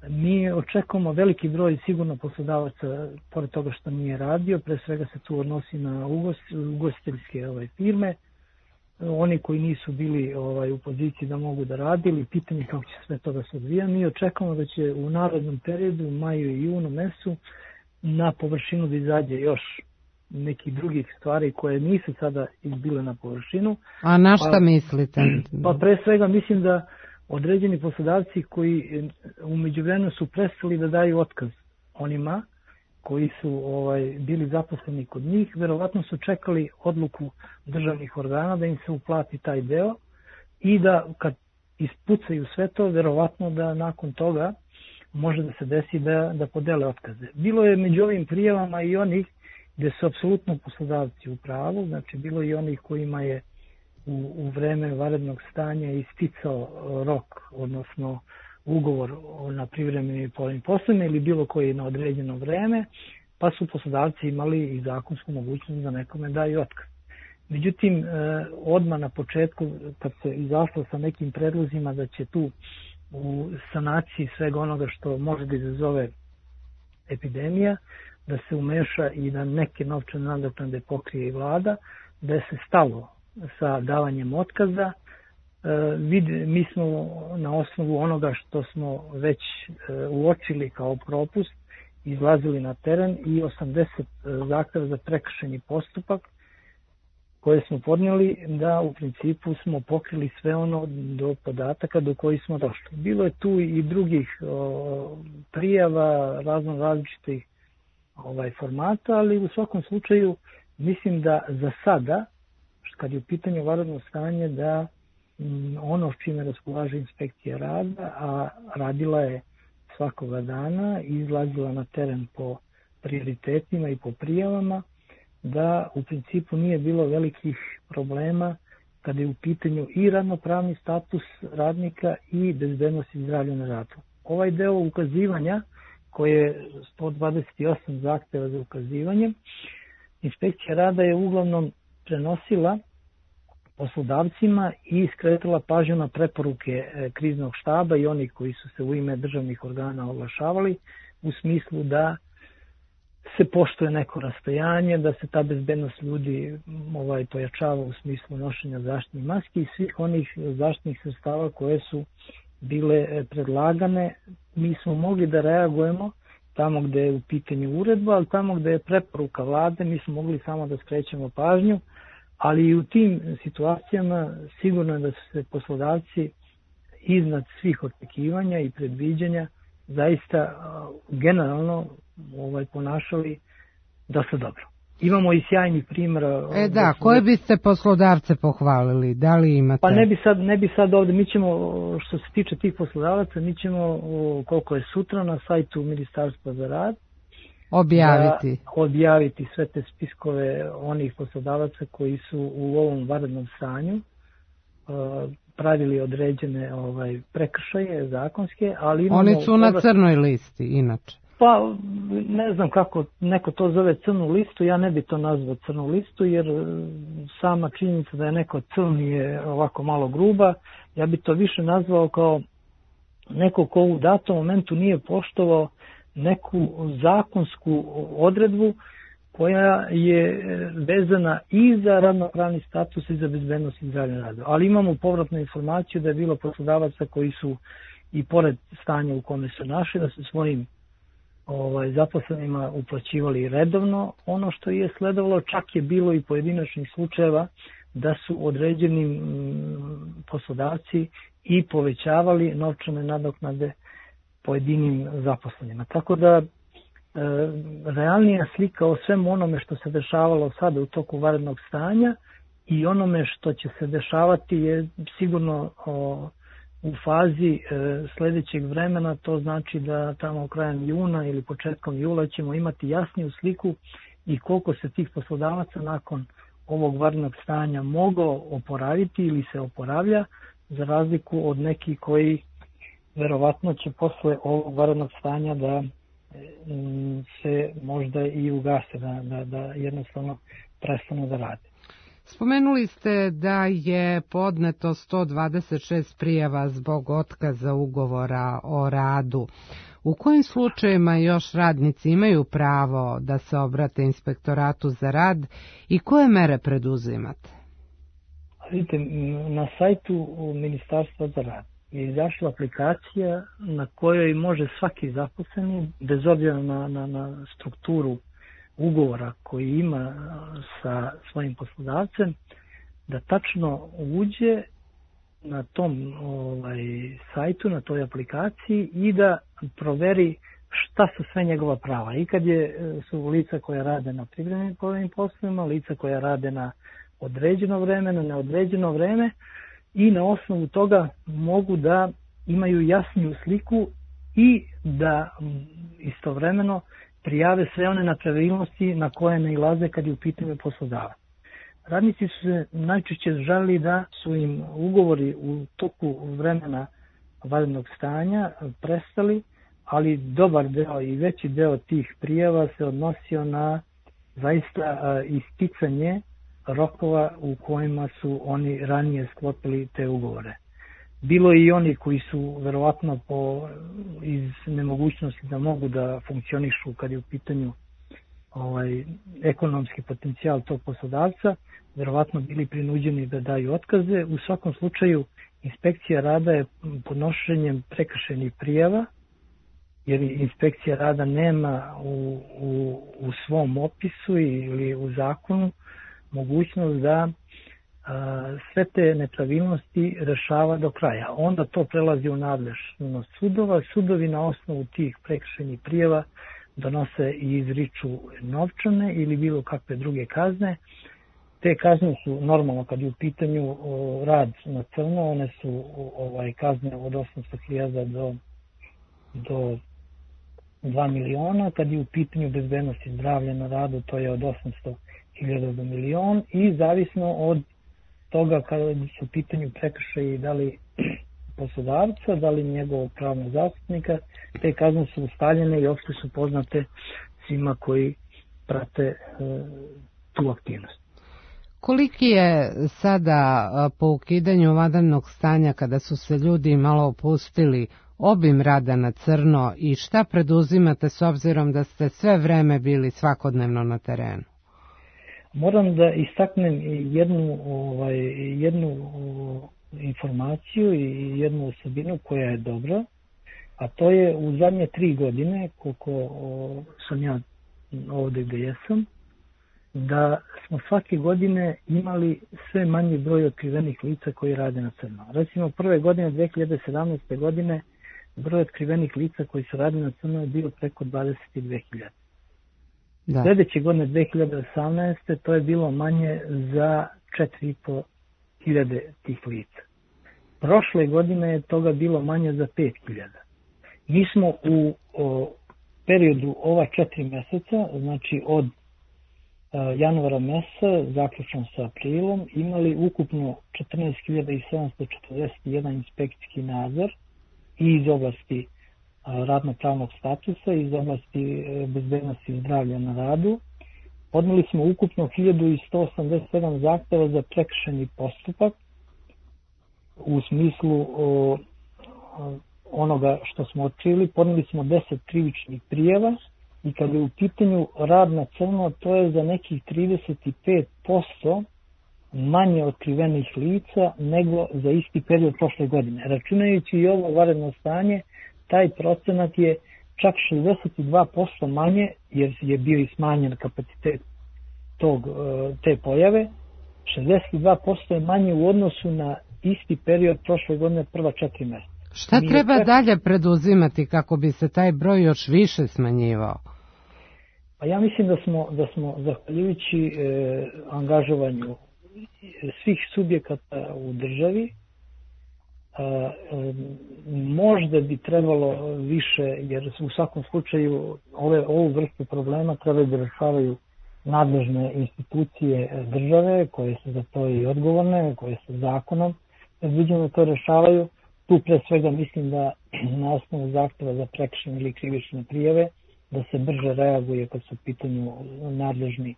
Mi očekujemo veliki broj sigurno poslodavaca, pored toga što nije radio, pre svega se tu odnosi na ugostiteljske ovaj, firme, oni koji nisu bili ovaj, u poziciji da mogu da radi, ili pitanje kako će sve to da se odvija. Mi očekujemo da će u narednom periodu, u maju i junu mesecu, na površinu da izađe još nekih drugih stvari koje nisu sada izbile na površinu. A na šta pa, mislite? Pa pre svega mislim da određeni poslodavci koji u međuvremenu su prestali da daju otkaz onima koji su ovaj, bili zaposleni kod njih, verovatno su čekali odluku državnih organa da im se uplati taj deo i da kad ispucaju sve to, verovatno da nakon toga može da se desi da, da podele otkaze. Bilo je među ovim prijavama i onih gde su apsolutno poslodavci u pravu, znači bilo i onih kojima je u, u vreme vanrednog stanja isticao rok, odnosno ugovor na privremenim i polovnim poslovima ili bilo koji na određeno vreme, pa su poslodavci imali i zakonsku mogućnost da nekome daju otkaz. Međutim, odmah na početku, kad se izašlo sa nekim predlozima da će tu u sanaciji svega onoga što može da izazove epidemija, da se umeša i da neke novčane nadoknade pokrije i vlada, da je se stalo sa davanjem otkaza vid, mi smo na osnovu onoga što smo već uočili kao propust izlazili na teren i osamdeset zahteva za prekršajni postupak koje smo podnijeli, da u principu smo pokrili sve ono do podataka do kojih smo došli. Bilo je tu i drugih o, prijava razno različitih ovaj, formata, ali u svakom slučaju mislim da za sada, kad je u pitanju vanredno stanje, da m, ono s čime raspolaže inspekcija rada, a radila je svakoga dana i izlazila na teren po prioritetima i po prijavama, da u principu nije bilo velikih problema kada je u pitanju i radnopravni status radnika i bezbednost i zdravlje na radu. Ovaj deo ukazivanja, koje je sto dvadeset osam zahteva za ukazivanje, inspekcija rada je uglavnom prenosila poslodavcima i skretala pažnju na preporuke kriznog štaba i onih koji su se u ime državnih organa oglašavali u smislu da se poštuje neko rastojanje, da se ta bezbednost ljudi ovaj, pojačava u smislu nošenja zaštitnih maski i svih onih zaštitnih sredstava koje su bile predlagane. Mi smo mogli da reagujemo tamo gde je u pitanju uredba, ali tamo gde je preporuka vlade mi smo mogli samo da skrećemo pažnju, ali i u tim situacijama sigurno je da su se poslodavci iznad svih očekivanja i predviđanja zaista generalno ovaj, ponašali dosta dobro. Imamo i sjajnih primjera. E da, koje biste poslodavce pohvalili? Da li imate? Pa ne bi sad, ne bi sad ovde, mi ćemo, što se tiče tih poslodavaca, mi ćemo, koliko je sutra na sajtu Ministarstva za rad, objaviti. objaviti sve te spiskove onih poslodavaca koji su u ovom vanrednom stanju pravili određene ovaj, prekršaje zakonske, ali imamo... Oni su na crnoj listi, inače. Pa, ne znam kako neko to zove crnu listu, ja ne bi to nazvao crnu listu, jer sama činjenica da je neko crni je ovako malo gruba, ja bi to više nazvao kao neko ko u datom momentu nije poštovao neku zakonsku odredbu koja je vezana i za radnopravni status i za bezbednost i zdravlje na radu. Ali imamo povratnu informaciju da je bilo poslodavaca koji su i pored stanja u kome su našli, da su svojim ovaj, zaposlenima uplaćivali redovno ono što je sledovalo, čak je bilo i pojedinačnih slučajeva da su određenim poslodavci i povećavali novčane nadoknade pojedinim zaposlenima. Tako da e, realnija slika o svemu onome što se dešavalo sada u toku vanrednog stanja i onome što će se dešavati je sigurno o, u fazi e, sledećeg vremena, to znači da tamo krajem juna ili početkom jula ćemo imati jasniju sliku i koliko se tih poslodavaca nakon ovog vanrednog stanja mogao oporaviti ili se oporavlja, za razliku od nekih koji verovatno će posle ovog vanrednog stanja da se možda i ugase, da, da, da jednostavno prestanu da rade. Spomenuli ste da je podneto sto dvadeset šest prijava zbog otkaza ugovora o radu. U kojim slučajevima još radnici imaju pravo da se obrate inspektoratu za rad i koje mere preduzimate? Vidite, na sajtu Ministarstva za rad je izašla aplikacija na kojoj može svaki zaposleni, bez obzira na, na, na strukturu ugovora koji ima sa svojim poslodavcem, da tačno uđe na tom ovaj, sajtu, na toj aplikaciji i da proveri šta su sve njegova prava. I kad je, su lica koja rade na privremenim povremenim poslovima, lica koja rade na određeno vreme, na neodređeno vreme, i na osnovu toga mogu da imaju jasniju sliku i da istovremeno prijave sve one nepravilnosti na koje nailaze kad je u pitanju poslodavac. Radnici su se najčešće žalili da su im ugovori u toku vremena vanrednog stanja prestali, ali dobar deo i veći deo tih prijava se odnosio na zaista isticanje rokova u kojima su oni ranije sklopili te ugovore. Bilo je i oni koji su verovatno po, iz nemogućnosti da mogu da funkcionišu kad je u pitanju ovaj, ekonomski potencijal tog poslodavca, verovatno bili prinuđeni da daju otkaze. U svakom slučaju inspekcija rada je podnošenjem prekršajnih prijava, jer inspekcija rada nema u, u, u svom opisu ili u zakonu mogućnost da a, sve te nepravilnosti rešava do kraja. Onda to prelazi u nadležnost sudova. Sudovi na osnovu tih prekršajnih prijava donose i izriču novčane ili bilo kakve druge kazne. Te kazne su normalno kad je u pitanju o, rad na crno, one su o, ovaj, kazne od osamsto hiljada do, do dva miliona, kad je u pitanju bezbednost i zdravlje na radu, to je od osamsto hiljada do milion, i zavisno od toga kada su u pitanju prekršaji da li poslodavca, da li njegovog pravnog zastupnika, te kazne su ustaljene i opšte su poznate svima koji prate e, tu aktivnost. Koliki je sada po ukidanju vanrednog stanja, kada su se ljudi malo opustili, obim rada na crno i šta preduzimate s obzirom da ste sve vreme bili svakodnevno na terenu? Moram da istaknem jednu, ovaj, jednu informaciju i jednu osobinu koja je dobra, a to je u zadnje tri godine, koliko o, sam ja ovde gde jesam, da smo svake godine imali sve manji broj otkrivenih lica koji rade na crno. Recimo, prve godine, dve hiljade sedamnaeste. godine, broj otkrivenih lica koji su radili na crno je bio preko dvadeset dve hiljade. Da. Sljedeće godine, dve hiljade osamnaeste. to je bilo manje za četiri i po hiljade tih lica. Prošle godine je toga bilo manje za pet hiljada. Mi smo u o, periodu ova četiri meseca, znači od januara meseca, zaključno sa aprilom, imali ukupno četrnaest hiljada sedamsto četrdeset jedan inspekcijski nadzor i iz oblasti radno-pravnog statusa, iz oblasti bezbednosti i zdravlja na radu. Podneli smo ukupno hiljadu sto osamdeset sedam zahteva za prekršajni postupak u smislu o, onoga što smo otkrili. Podneli smo deset krivičnih prijava i kad je u pitanju rad na crno, to je za nekih trideset pet posto manje otkrivenih lica nego za isti period prošle godine. Računajući i ovo vanredno stanje, taj procenat je čak šezdeset dva posto manje, jer je bio i smanjen kapacitet tog, te pojave. šezdeset dva posto je manje u odnosu na isti period prošle godine, prva četiri mjeseca. Šta treba čak... dalje preduzimati kako bi se taj broj još više smanjivao? Pa ja mislim da smo, da smo zahvaljujući e, angažovanju svih subjekata u državi, e, e, možda bi trebalo više, jer u svakom slučaju ove, ovu vrstu problema trebaju da rešavaju nadležne institucije države, koje su za to i odgovorne, koje su zakonom predviđeno da to rešavaju. Tu pre svega mislim da na osnovu zahteva za prekršajne ili krivične prijave da se brže reaguje kad su u pitanju nadležni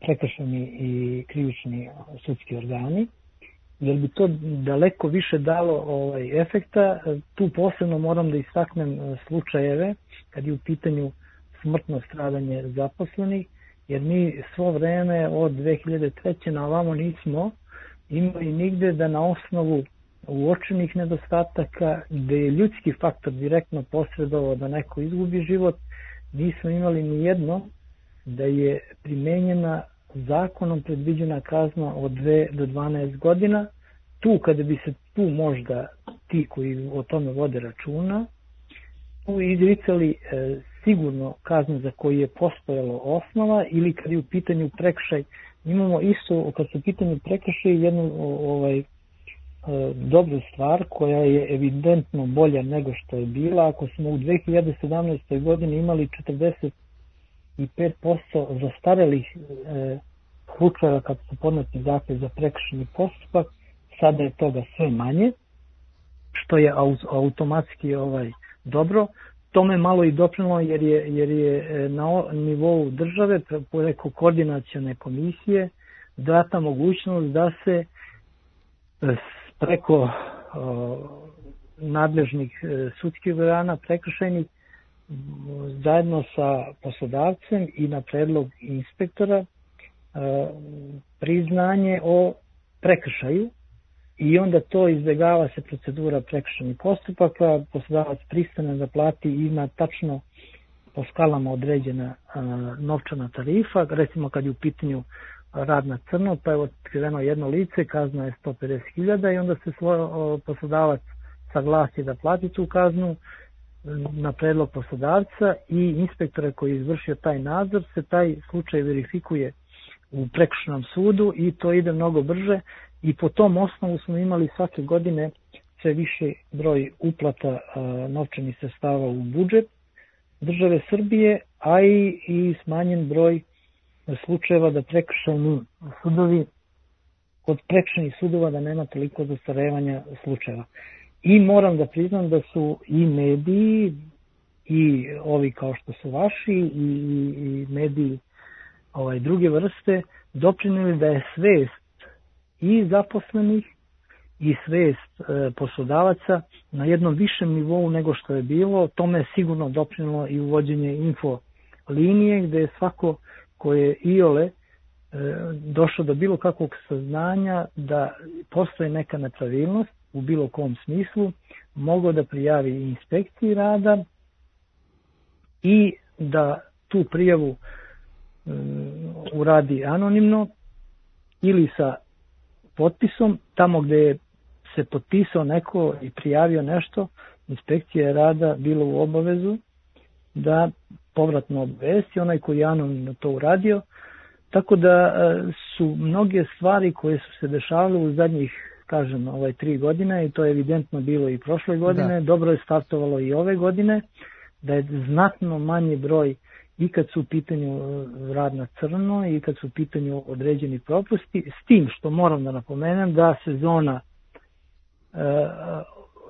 prekršajni i krivični sudski organi, jer bi to daleko više dalo ovaj, efekta. Tu posebno moram da istaknem slučajeve kad je u pitanju smrtno stradanje zaposlenih, jer mi svo vreme od dve hiljade treće na ovamo nismo imali nigde da na osnovu uočenih nedostataka, gde je ljudski faktor direktno posredovao da neko izgubi život, nismo imali ni jedno da je primenjena zakonom predviđena kazna od dve do dvanaest godina. Tu kada bi se tu možda ti koji o tome vode računa, tu izricali e, sigurno kazne za koju je postojalo osnova, ili kad je u pitanju prekršaj, imamo isto kad su u pitanju prekršaj jednu ovaj, dobru stvar koja je evidentno bolja nego što je bila. Ako smo u dve hiljade sedamnaestoj. godini imali četrdeset pet posto zastarelih e, slučajeva kad su podneti zahtev za prekršajni postupak, sada je toga sve manje, što je automatski ovaj, dobro. Tome malo i doprinelo jer je, jer je na nivou države preko koordinacione komisije data mogućnost da se preko o, nadležnih e, sudskih organa prekršajnih zajedno sa poslodavcem i na predlog inspektora e, priznanje o prekršaju i onda to izbjegava se procedura prekršajnih postupaka, poslodavac pristane da plati i ima tačno po skalama određena a, novčana tarifa, recimo kad je u pitanju rad na crno, pa je otkriveno jedno lice, kazna je sto pedeset hiljada i onda se svoj poslodavac saglasi da plati tu kaznu na predlog poslodavca i inspektore koji je izvršio taj nadzor se taj slučaj verifikuje u prekršajnom sudu i to ide mnogo brže i po tom osnovu smo imali svake godine sve više broj uplata a, novčanih sredstava u budžet države Srbije, a i, i smanjen broj slučajeva da prekršajni sudovi, kod prekršajnih sudova da nema toliko zastarevanja slučajeva. I moram da priznam da su i mediji i ovi kao što su vaši i, i mediji ovaj, druge vrste doprinijeli da je svest i zaposlenih i svest e, poslodavaca na jednom višem nivou nego što je bilo. Tome je sigurno doprinilo i uvođenje info linije gde je svako ko je iole e, došao do bilo kakvog saznanja da postoji neka nepravilnost u bilo kom smislu, mogao da prijavi inspekciji rada i da tu prijavu um, uradi anonimno ili sa potpisom, tamo gde je se potpisao neko i prijavio nešto, inspekcija rada bilo u obavezu da povratno obavesti onaj koji je anonimno to uradio, tako da su mnoge stvari koje su se dešavale u zadnjih kažem, ovaj tri godine i to je evidentno bilo i prošle godine, da. Dobro je startovalo i ove godine, da je znatno manji broj i kad su u pitanju rad na crno i kad su u pitanju određeni propusti, s tim što moram da napomenem da sezona e,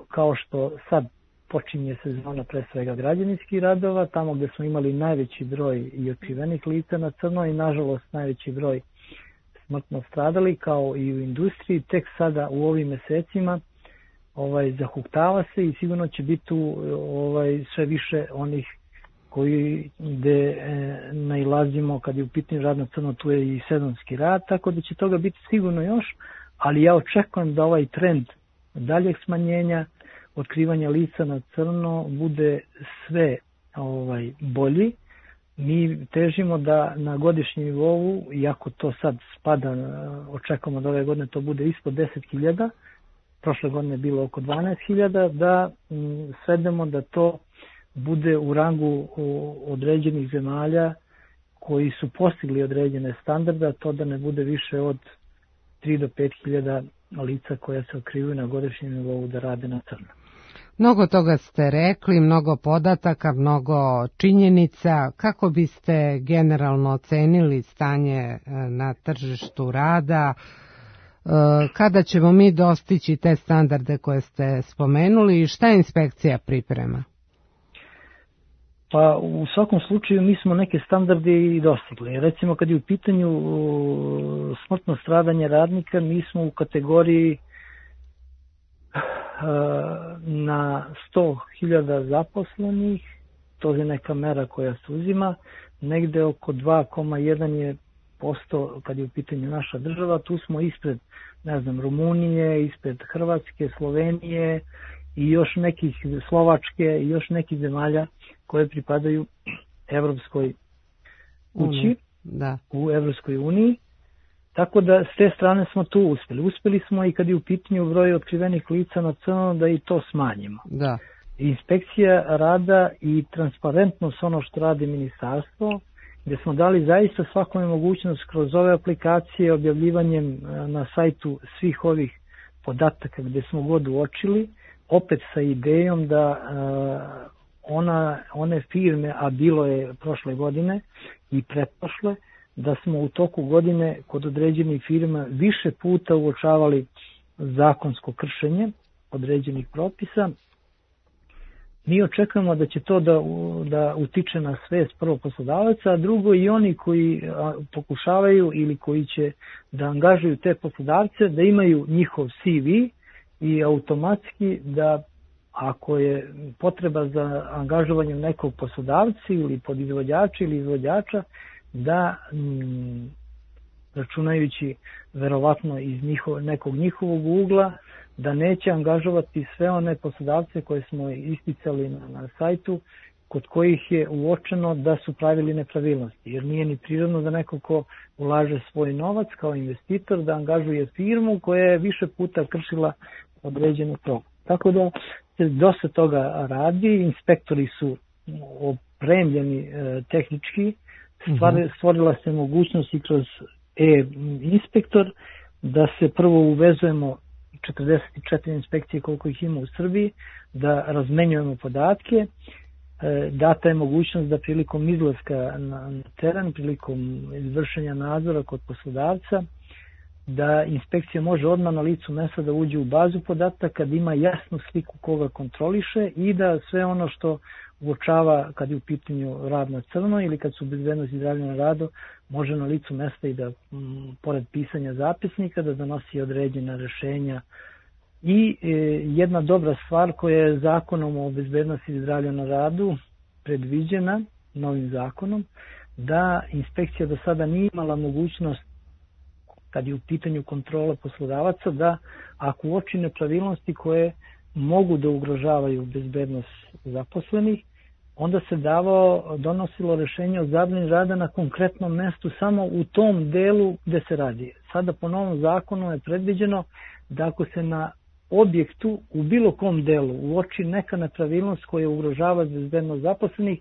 kao što sad počinje sezona pre svega građevinskih radova, tamo gde smo imali najveći broj i otkrivenih lica na crno i nažalost najveći broj smrtno stradali kao i u industriji, tek sada u ovim mesecima ovaj, zahuktava se i sigurno će biti tu ovaj, sve više onih koji gde e, nailazimo kad je u pitanju rad na crno, tu je i sezonski rad, tako da će toga biti sigurno još, ali ja očekujem da ovaj trend daljeg smanjenja otkrivanja lica na crno bude sve ovaj, bolji. Mi težimo da na godišnjem nivou, iako to sad spada, očekujemo da ove godine to bude ispod deset hiljada, prošle godine je bilo oko dvanaest hiljada, da m, svedemo da to bude u rangu određenih zemalja koji su postigli određene standarde, to da ne bude više od tri do pet hiljada lica koja se otkrivaju na godišnjem nivou da rade na crno. Mnogo toga ste rekli, mnogo podataka, mnogo činjenica. Kako biste generalno ocenili stanje na tržištu rada? Kada ćemo mi dostići te standarde koje ste spomenuli i šta inspekcija priprema? Pa u svakom slučaju mi smo neke standarde i dostigli. Recimo kad je u pitanju smrtno stradanje radnika, mi smo u kategoriji na sto hiljada zaposlenih, to je neka mera koja se uzima, negde oko dva zarez jedan je posto kad je u pitanju naša država, tu smo ispred, ne znam, Rumunije, ispred Hrvatske, Slovenije i još nekih Slovačke i još nekih zemalja koje pripadaju Evropskoj kući, da. U Evropskoj uniji. Tako da s te strane smo tu uspeli. Uspeli smo i kad je u pitanju broj otkrivenih lica na crno da i to smanjimo. Da. Inspekcija rada i transparentnost ono što radi ministarstvo, gde smo dali zaista svakome mogućnost kroz ove aplikacije, objavljivanjem na sajtu svih ovih podataka gde smo god uočili, opet sa idejom da ona, one firme, a bilo je prošle godine i pretprošle, da smo u toku godine kod određenih firma više puta uočavali zakonsko kršenje određenih propisa. Mi očekujemo da će to da, da utiče na svest prvo poslodavaca, a drugo i oni koji pokušavaju ili koji će da angažuju te poslodavce, da imaju njihov C V i automatski da ako je potreba za angažovanjem nekog poslodavca ili podizvođača ili izvođača, da računajući verovatno iz njiho, nekog njihovog ugla, da neće angažovati sve one poslodavce koje smo isticali na, na sajtu, kod kojih je uočeno da su pravili nepravilnosti. Jer nije ni prirodno da neko ko ulaže svoj novac kao investitor da angažuje firmu koja je više puta kršila određene propise. Tako da se dosta toga radi, inspektori su opremljeni e, tehnički, stvar, stvorila se mogućnost i kroz e-inspektor da se prvo uvezujemo četrdeset četiri inspekcije koliko ih ima u Srbiji, da razmenjujemo podatke, e, data je mogućnost da prilikom izlaska na, na teren, prilikom izvršenja nadzora kod poslodavca, da inspekcija može odmah na licu mesta da uđe u bazu podataka, da ima jasnu sliku koga kontroliše i da sve ono što uočava kad je u pitanju rad na crno ili kad su bezbednost i zdravlje na radu, može na licu mesta i da, m, pored pisanja zapisnika, da donosi određena rešenja. I e, jedna dobra stvar koja je zakonom o bezbednosti i zdravlju na radu predviđena, novim zakonom, da inspekcija do sada nije imala mogućnost, kad je u pitanju kontrole poslodavaca, da ako uoči nepravilnosti koje mogu da ugrožavaju bezbednost zaposlenih, onda se davao, donosilo rešenje o zabrani rada na konkretnom mestu samo u tom delu gde se radi. Sada po novom zakonu je predviđeno da ako se na objektu u bilo kom delu uoči neka nepravilnost koja ugrožava bezbednost zaposlenih,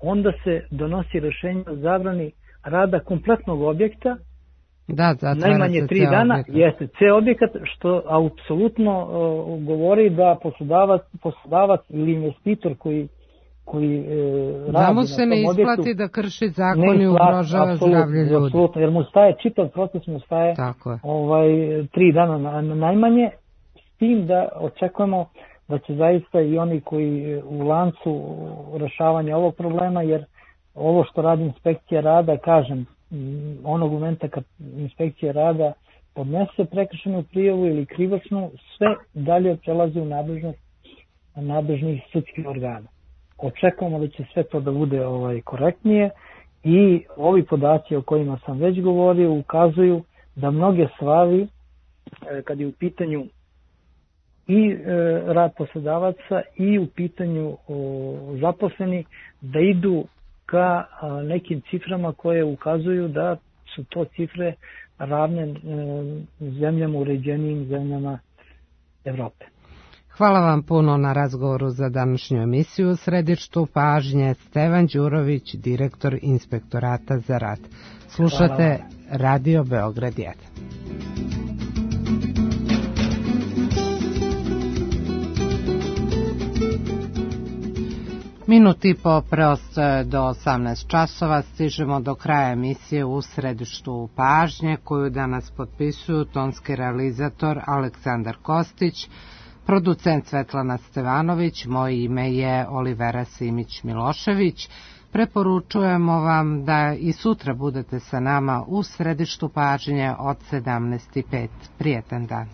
onda se donosi rešenje o zabrani rada kompletnog objekta, da, najmanje tri dana, objekat. Jeste ceo objekat, što apsolutno uh, govori da poslodavac, poslodavac ili investitor koji koji e, radi da mu se ne isplati objektu, da krši zakon i ugrožava zdravlje ljudi. Apsolutno, jer mu staje, čitav proces mu staje ovaj, tri dana na, na najmanje, s tim da očekujemo da će zaista i oni koji u lancu rešavanja ovog problema, jer ovo što radi inspekcija rada, kažem, onog momenta kad inspekcija rada podnese prekršenu prijavu ili krivičnu, sve dalje prelazi u nadležnost nadležnih sudskih organa. Očekujemo da će sve to da bude ovaj korektnije i ovi podaci o kojima sam već govorio ukazuju da mnoge stvari, kad je u pitanju i e, rad poslodavaca i u pitanju o, zaposleni, da idu ka a, nekim ciframa koje ukazuju da su to cifre ravne e, zemljama, uređenijim zemljama Evrope. Hvala vam puno na razgovoru za današnju emisiju. U središtu pažnje Stevan Đurović, direktor Inspektorata za rad. Slušate Radio Beograd jedan. Minut i po preostaje do osamnaest časova, stižemo do kraja emisije U središtu pažnje, koju danas potpisuju tonski realizator Aleksandar Kostić, producent Svetlana Stevanović, moje ime je Olivera Simić-Milošević. Preporučujemo vam da i sutra budete sa nama u središtu pažnje od sedamnaest i pet. Prijetan dan.